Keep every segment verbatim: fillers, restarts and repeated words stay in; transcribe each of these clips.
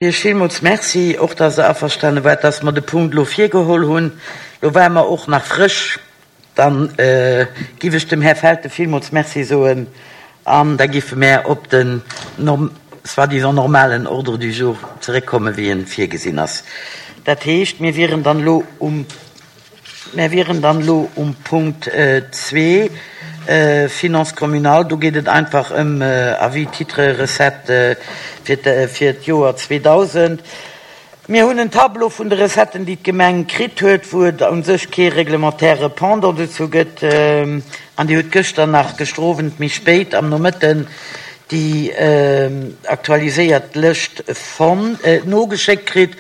Iech villmools Merci, och dass Der averstane waart, dass mer de Punkt elo virgeholl hunn. Lo ware mer och nach frësch. Dann giff ech dem Här Felten villmools Merci soen an da giffe mär op den soi-disant normalen Ordre du jour zeréckkommen, wéi en virgesinn ass. Dat heescht, mir wieren dann elo um, mär wieren dann elo um Punkt zwee, Finances communales. Do geet et einfach ëm Avis, Titres, Recettes fir fir d'Joer zweedausend. Mir hunn en Tableau vun de Recetten, déi d'Gemeng kritt huet, wou et u sech kee reglementaire Pendant dozou gëtt. An Dir hutt gëschter nach, gëschter Owend méi spéit am Nomëtten, déi aktualiséiert Lëscht fonnt, nogeschéckt kritt.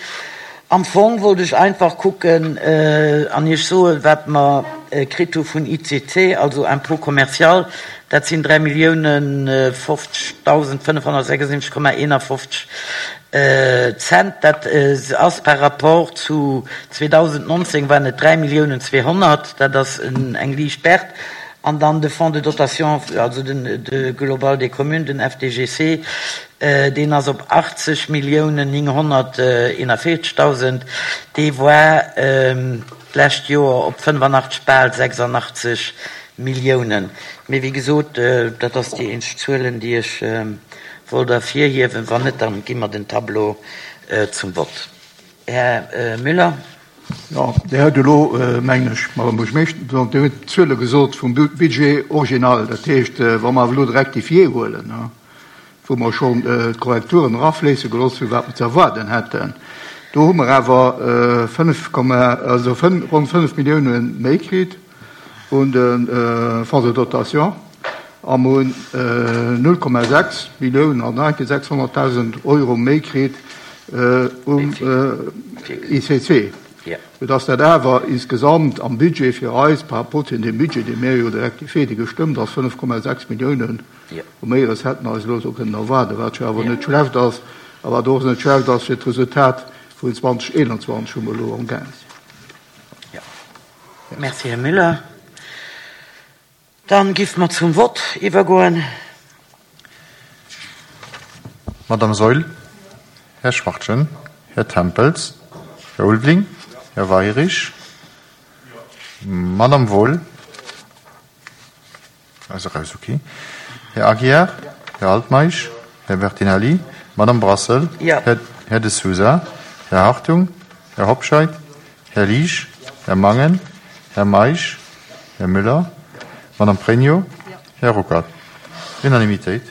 Am Fong wollt ech einfach kucken an Iech soen, wat mer kritt hu vun I C C, also Impôt commercial. Dat sinn dräi Milliounen fofzegdausend fënnefhonnertsechsundsiwwenzeg Komma eenafofzeg Cent. Dat ass par rapport zu zweedausendnonzéng, waren et dräi Milliounen zweehonnert. Dat ass eng liicht Perte. An dann de Fonds de dotation, also den de Global des Communes, den F D G C, deen ass op achtzeg Milliounen nénghonnerteenavéierzegdausend. Dee war d'lescht Joer op fënnefanachteg, bal sechsandachtzeg Milliounen. Mee wéi gesot, dat ass déi eenzeg Zuelen, déi ech wollt ervirhiewen. Wann net, dann gi mer den Tableau zum Vott. Här Müller. Jo, Dir hutt elo, mengen ech, Madame Buergermeeschter, Dir hutt d'Zuele gesot vum Budget original. Dat heescht, wa mer awer elo de Rectifié huelen, wou mer schonn d'Korrekturen erafléisse gelooss hunn, wat mer ze erwaarden hätten, do hu mer awer fënnef, also ronn fënnef Millioune méi kritt un de Fonds de dotation a mer hunn null Komma sechs Milliounen an sechshonnertdausend Euro méi kritt um I C C. Soudass dat awer insgesamt am Budget fir eis, par rapport zu dem Budget, dee mir jo de Rectifié, dee gestëmmt ass, fënnef Komma sechs Milliounen u méi Recetten eis elo esou kënnen erwaarden, wat jo awer net schlecht ass a wat och net schlecht ass fir d'Resultat vun zweedausendeenanzwanzeg, wou mer elo amgaang sinn. Merci, Här Müller. Dann giff mer zum Vott iwwergoen. Madame Saeul, Här Schwachtgen, Här Tempels, Här Ulveling, Här Weirich, Madame Wohl, also raus, okay. Här Aguiar, Här Altmeisch, Här Bertinelli, Madame Brassel, Ja. Här, Här de Sousa, Här Hartung, Här Hobscheit, Här Liesch, Här Mangen, Här Meisch, Här Müller, Madame Pregno, Här Ruckert. Unanimitéit.